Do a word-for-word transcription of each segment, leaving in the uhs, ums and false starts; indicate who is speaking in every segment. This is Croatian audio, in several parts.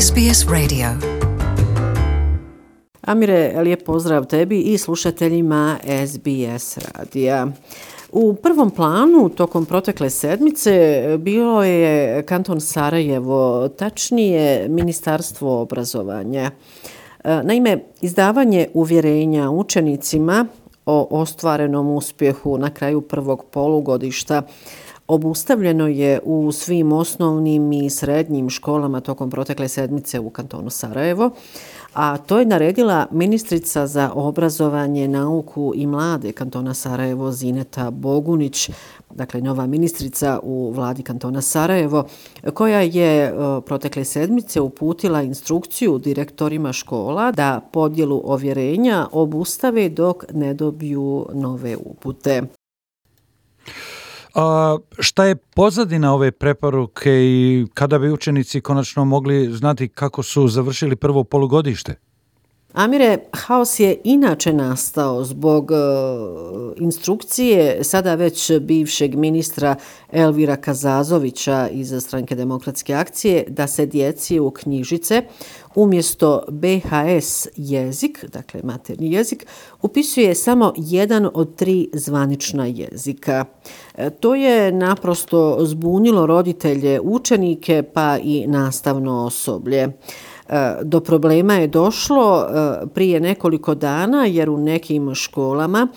Speaker 1: S B S Radio.
Speaker 2: Amire, lijep pozdrav tebi i slušateljima S B S radija. U prvom planu tokom protekle sedmice bilo je kanton Sarajevo, tačnije Ministarstvo obrazovanja. Naime, izdavanje uvjerenja učenicima o ostvarenom uspjehu na kraju prvog polugodišta obustavljeno je u svim osnovnim i srednjim školama tokom protekle sedmice u kantonu Sarajevo, a to je naredila ministrica za obrazovanje, nauku i mlade kantona Sarajevo Zineta Bogunić, dakle nova ministrica u vladi kantona Sarajevo, koja je protekle sedmice uputila instrukciju direktorima škola da podjelu ovjerenja obustave dok ne dobiju nove upute.
Speaker 3: A šta je pozadina ove preporuke i kada bi učenici konačno mogli znati kako su završili prvo polugodište?
Speaker 2: Amire, haos je inače nastao zbog uh, instrukcije sada već bivšeg ministra Elvira Kazazovića iz Stranke demokratske akcije da se djeci u knjižice umjesto B H S jezik, dakle materni jezik, upisuje samo jedan od tri zvanična jezika. E, to je naprosto zbunilo roditelje, učenike pa i nastavno osoblje. Do problema je došlo prije nekoliko dana jer u nekim školama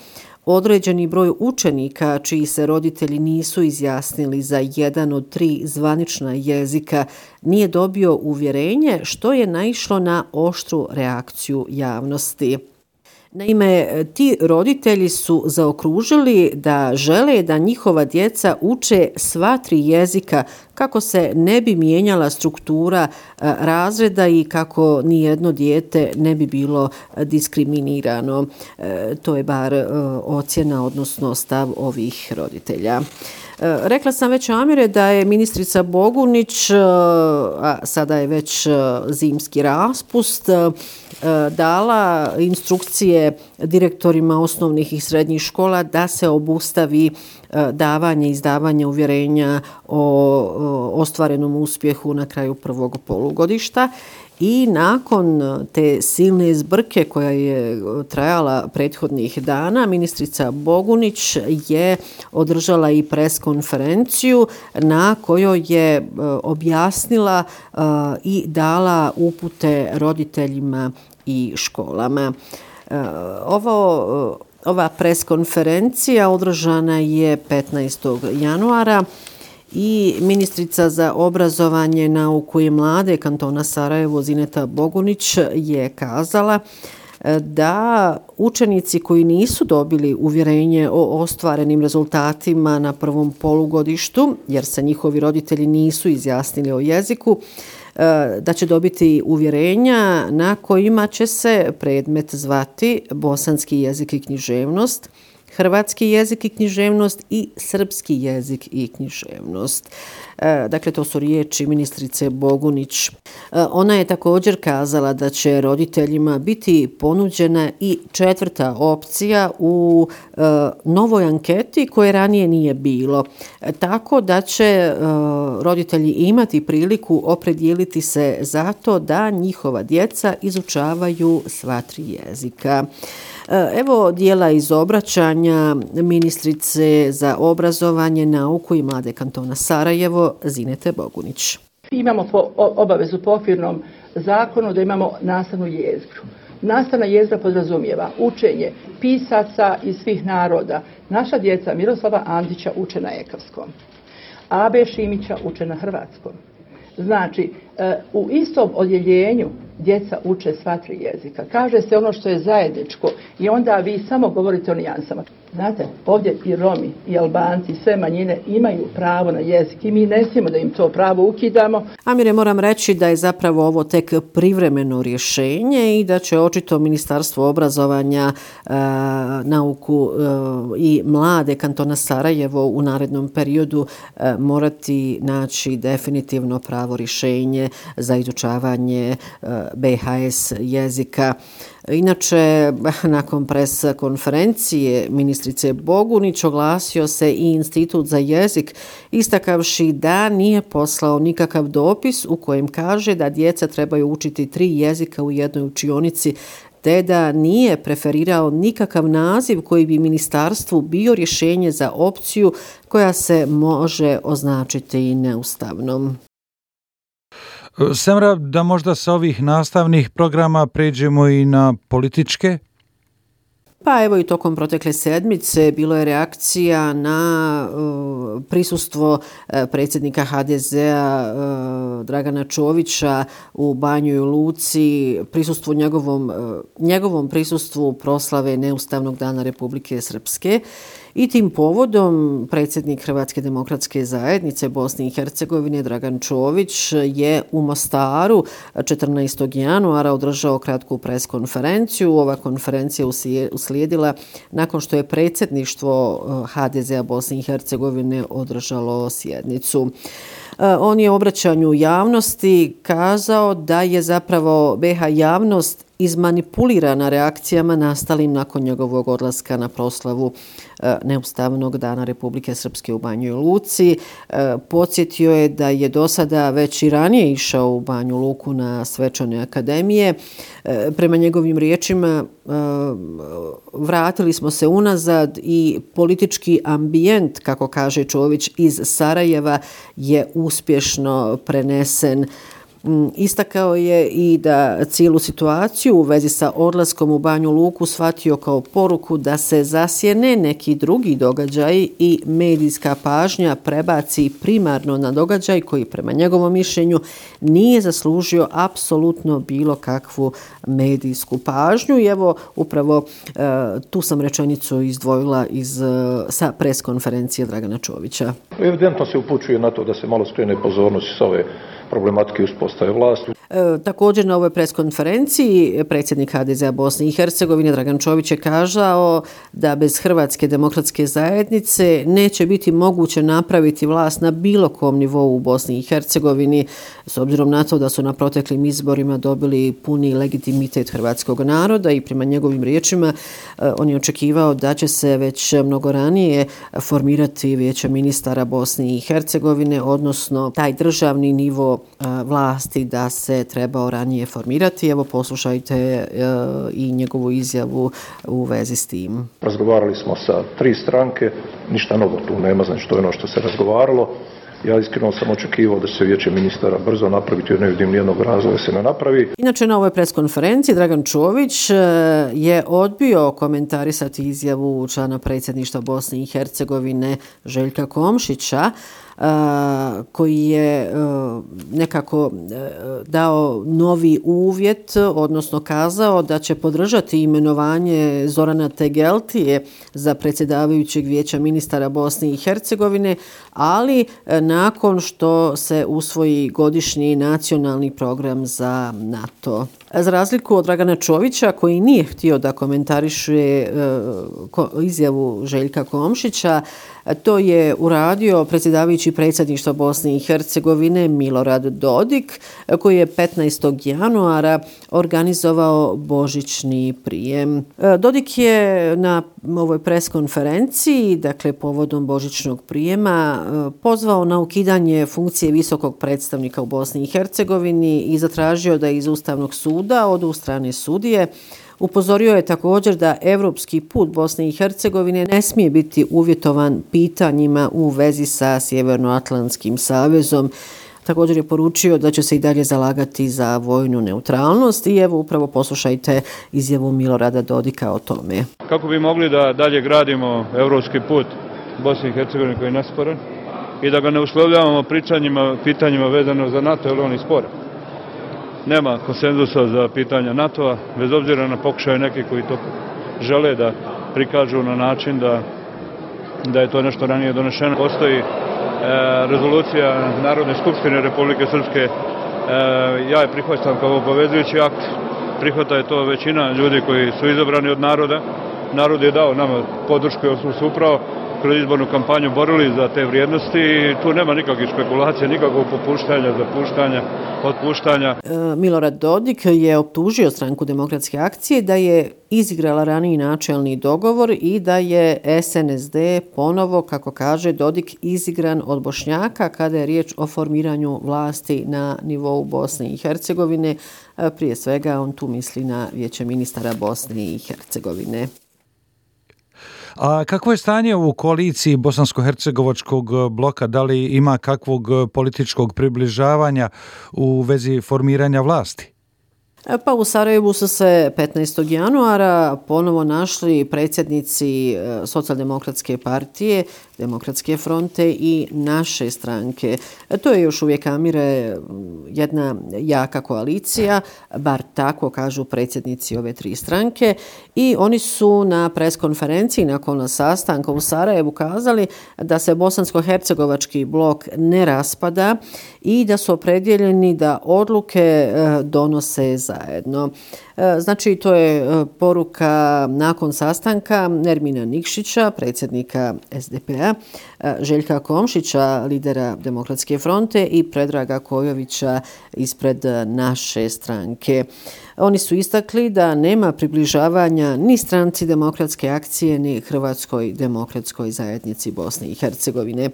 Speaker 2: određeni broj učenika čiji se roditelji nisu izjasnili za jedan od tri zvanična jezika nije dobio uvjerenje, što je naišlo na oštru reakciju javnosti. Naime, ti roditelji su zaokružili da žele da njihova djeca uče sva tri jezika kako se ne bi mijenjala struktura razreda i kako nijedno dijete ne bi bilo diskriminirano. To je bar ocjena, odnosno stav ovih roditelja. Rekla sam već, Amire, da je ministrica Bogunić, a sada je već zimski raspust, dala instrukcije direktorima osnovnih i srednjih škola da se obustavi davanje i izdavanje uvjerenja o ostvarenom uspjehu na kraju prvog polugodišta. I nakon te silne zbrke koja je trajala prethodnih dana, ministrica Bogunić je održala i pres konferenciju na kojoj je objasnila i dala upute roditeljima i školama. Ovo, ova pres konferencija održana je petnaestog januara. I ministrica za obrazovanje, nauku i mlade kantona Sarajevo Zineta Bogunić je kazala da učenici koji nisu dobili uvjerenje o ostvarenim rezultatima na prvom polugodištu, jer se njihovi roditelji nisu izjasnili o jeziku, da će dobiti uvjerenja na kojima će se predmet zvati bosanski jezik i književnost, hrvatski jezik i književnost i srpski jezik i književnost. Dakle, to su riječi ministrice Bogunić. Ona je također kazala da će roditeljima biti ponuđena i četvrta opcija u novoj anketi koje ranije nije bilo. Tako da će roditelji imati priliku opredijeliti se za to da njihova djeca izučavaju sva tri jezika. Evo dijela iz obraćanja ministrice za obrazovanje, nauku i mlade kantona Sarajevo Zinete Bogunić.
Speaker 4: Imamo po obavezu po okvirnom zakonu da imamo nastavnu jezgru. Nastavna jezgra podrazumijeva učenje pisaca iz svih naroda. Naša djeca Miroslava Andića uče na ekavskom, Abe Šimića uče na hrvatskom. Znači, u istom odjeljenju djeca uče sva tri jezika. Kaže se ono što je zajedničko i onda vi samo govorite o nijansama. Znate, ovdje i Romi, i Albanci, i sve manjine imaju pravo na jezik i mi ne smijemo da im to pravo ukidamo.
Speaker 2: Amire, moram reći da je zapravo ovo tek privremeno rješenje i da će očito Ministarstvo obrazovanja, e, nauku e, i mlade kantona Sarajevo u narednom periodu e, morati naći definitivno pravo rješenje za izučavanje e, B H S jezika. Inače, nakon pres konferencije ministrice ministrice Bogunić oglasio se i Institut za jezik, istakavši da nije poslao nikakav dopis u kojem kaže da djeca trebaju učiti tri jezika u jednoj učionici, te da nije preferirao nikakav naziv koji bi ministarstvu bio rješenje za opciju koja se može označiti i neustavnom.
Speaker 3: Semra, da možda sa ovih nastavnih programa pređemo i na političke?
Speaker 2: Pa evo i tokom protekle sedmice bilo je reakcija na uh, prisustvo uh, predsjednika ha de zea uh, Dragana Čovića u Banjoj Luci, prisustvo njegovom, uh, njegovom prisustvu proslave Neustavnog dana Republike Srpske. I tim povodom predsjednik Hrvatske demokratske zajednice Bosne i Hercegovine Dragan Čović je u Mostaru četrnaestog januara održao kratku preskonferenciju. Ova konferencija uslijedila nakon što je predsjedništvo ha de zea Bosne i Hercegovine održalo sjednicu. On je u obraćanju javnosti kazao da je zapravo be ha javnost izmanipulirana reakcijama nastalim nakon njegovog odlaska na proslavu Neustavnog dana Republike Srpske u Banjoj Luci. Podsjetio je da je do sada već i ranije išao u Banju Luku na svečane akademije. Prema njegovim riječima vratili smo se unazad i politički ambijent, kako kaže Čović, iz Sarajeva je uspješno prenesen. Istakao je i da cijelu situaciju u vezi sa odlaskom u Banju Luku shvatio kao poruku da se zasjene neki drugi događaj i medijska pažnja prebaci primarno na događaj koji prema njegovom mišljenju nije zaslužio apsolutno bilo kakvu medijsku pažnju. I evo upravo tu sam rečenicu izdvojila iz, sa preskonferencije Dragana Čovića.
Speaker 1: Evidentno se upućuje na to da se malo skrene pozornost s ove problematike uspostave vlasti.
Speaker 2: E, također na ovoj preskonferenciji predsjednik ha de zea Bosne i Hercegovine Dragan Čović je kazao da bez Hrvatske demokratske zajednice neće biti moguće napraviti vlast na bilo kom nivou u Bosni i Hercegovini, s obzirom na to da su na proteklim izborima dobili puni legitimitet hrvatskog naroda i prema njegovim riječima e, on je očekivao da će se već mnogo ranije formirati vijeće ministara Bosne i Hercegovine, odnosno taj državni nivo vlasti da se trebao ranije formirati. Evo poslušajte e, i njegovu izjavu u vezi s tim.
Speaker 1: Razgovarali smo sa tri stranke, ništa novo tu nema, znači to je ono što se razgovaralo. Ja iskreno sam očekivao da će se vijeće ministara brzo napraviti, jer ne vidim nijednog razloga da se ne napravi.
Speaker 2: Inače, na ovoj preskonferenciji Dragan Čović je odbio komentarisati izjavu člana predsjedništva Bosne i Hercegovine Željka Komšića, koji je nekako dao novi uvjet, odnosno kazao da će podržati imenovanje Zorana Tegeltije za predsjedavajućeg vijeća ministara Bosne i Hercegovine, ali nakon što se usvoji godišnji nacionalni program za NATO. Za razliku od Dragana Čovića, koji nije htio da komentariše izjavu Željka Komšića, to je uradio predsjedavajući predsjedništva Bosne i Hercegovine Milorad Dodik, koji je petnaestog januara organizovao božićni prijem. Dodik je na ovoj preskonferenciji, dakle povodom božićnog prijema, pozvao na ukidanje funkcije visokog predstavnika u Bosni i Hercegovini i zatražio da iz Ustavnog suda odu strane sudije. Upozorio je također da evropski put Bosne i Hercegovine ne smije biti uvjetovan pitanjima u vezi sa Sjevernoatlantskim savezom. Također je poručio da će se i dalje zalagati za vojnu neutralnost i evo upravo poslušajte izjavu Milorada Dodika o tome.
Speaker 5: Kako bi mogli da dalje gradimo evropski put Bosne i Hercegovine koji je nesporan i da ga ne uslovljavamo pričanjima, pitanjima vezano za NATO, jer on je sporan. Nema konsenzusa za pitanja NATO-a, bez obzira na pokušaje neki koji to žele da prikažu na način da, da je to nešto ranije donešeno. Postoji e, rezolucija Narodne skupštine Republike Srpske, e, ja je prihvaćam kao obavezujući akt, prihvata je to većina ljudi koji su izabrani od naroda. Narod je dao nama podršku, jer smo se upravo kroz izbornu kampanju borili za te vrijednosti i tu nema nikakvih špekulacija, nikakvog popuštanja, zapuštanja, otpuštanja.
Speaker 2: Milorad Dodik je optužio Stranku demokratske akcije da je izigrala raniji načelni dogovor i da je S N S D ponovo, kako kaže Dodik, izigran od Bošnjaka kada je riječ o formiranju vlasti na nivou Bosne i Hercegovine. Prije svega on tu misli na Vijeće ministara Bosne i Hercegovine.
Speaker 3: A kakvo je stanje u koaliciji bosansko-hercegovačkog bloka? Da li ima kakvog političkog približavanja u vezi formiranja vlasti?
Speaker 2: Pa u Sarajevu su se petnaestog januara ponovo našli predsjednici Socijaldemokratske partije, Demokratske fronte i naše stranke. To je još uvijek, Amire, jedna jaka koalicija, bar tako kažu predsjednici ove tri stranke, i oni su na preskonferenciji nakon sastanka u Sarajevu kazali da se bosansko-hercegovački blok ne raspada i da su opredjeljeni da odluke donose zajedno. Znači, to je poruka nakon sastanka Nermina Nikšića, predsjednika S D P-a, Željka Komšića, lidera Demokratske fronte, i Predraga Kojovića ispred naše stranke. Oni su istakli da nema približavanja ni Stranci demokratske akcije, ni Hrvatskoj demokratskoj zajednici Bosne i Hercegovine.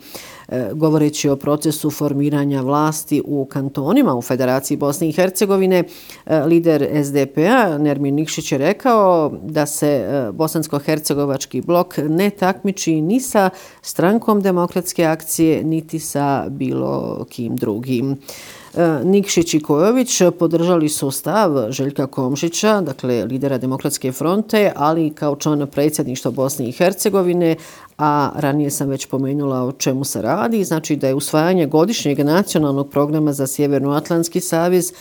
Speaker 2: Govoreći o procesu formiranja vlasti u kantonima u Federaciji Bosne i Hercegovine, lider S D P-a Nermin Nikšić je rekao da se bosansko-hercegovački blok ne takmiči ni sa Strankom demokratske akcije, niti sa bilo kim drugim. Nikšić i Kojović podržali su stav Željka Komšića, dakle lidera Demokratske fronte, ali kao član predsjedništva Bosne i Hercegovine, a ranije sam već pomenula o čemu se radi, znači da je usvajanje godišnjeg nacionalnog programa za Sjevernoatlantski savez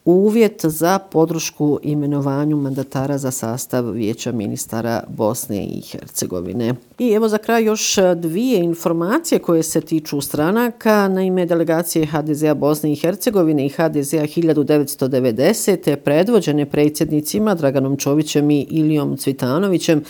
Speaker 2: uvjet za podršku imenovanju mandatara za sastav Vijeća ministara Bosne i Hercegovine. I evo za kraj još dvije informacije koje se tiču stranaka. Naime, delegacije H D Z-a Bosne i Hercegovine i H D Z-a hiljadu devetsto devedesete predvođene predsjednicima Draganom Čovićem i Ilijom Cvitanovićem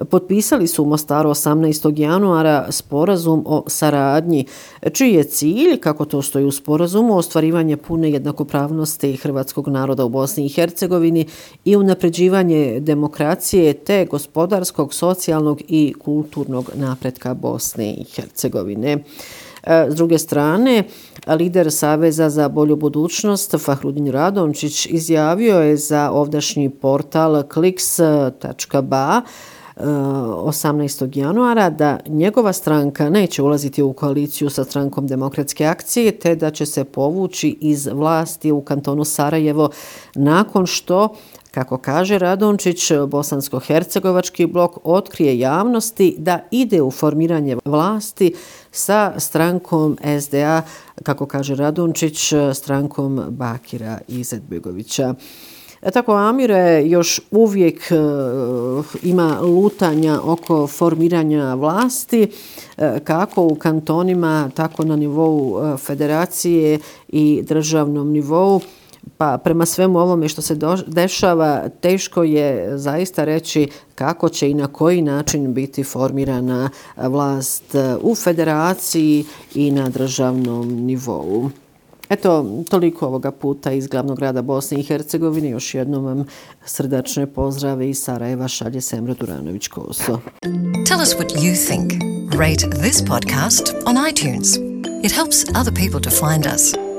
Speaker 2: potpisali su u Mostaru osamnaestog januara sporazum o saradnji, čiji je cilj, kako to stoji u sporazumu, ostvarivanje pune jednakopravnosti hrvatskog naroda u Bosni i Hercegovini i unapređivanje demokracije te gospodarskog, socijalnog i kulturnog napretka Bosne i Hercegovine. S druge strane, lider Saveza za bolju budućnost Fahrudin Radončić izjavio je za ovdašnji portal kliks tačka ba osamnaestog januara da njegova stranka neće ulaziti u koaliciju sa Strankom demokratske akcije, te da će se povući iz vlasti u kantonu Sarajevo nakon što, kako kaže Radončić, bosansko-hercegovački blok otkrije javnosti da ide u formiranje vlasti sa strankom S D A, kako kaže Radončić, strankom Bakira Izetbegovića. Tako, Amire, još uvijek uh, ima lutanja oko formiranja vlasti, uh, kako u kantonima, tako na nivou uh, federacije i državnom nivou. Pa prema svemu ovome što se do, dešava, teško je zaista reći kako će i na koji način biti formirana vlast u federaciji i na državnom nivou. Eto, toliko ovoga puta iz glavnog grada Bosne i Hercegovine. Još jednom vam srdačne pozdrave iz Sarajeva šalje Semra Duranović-Koso.
Speaker 6: Tell us what you think. Rate this podcast on iTunes. It helps other people to find us.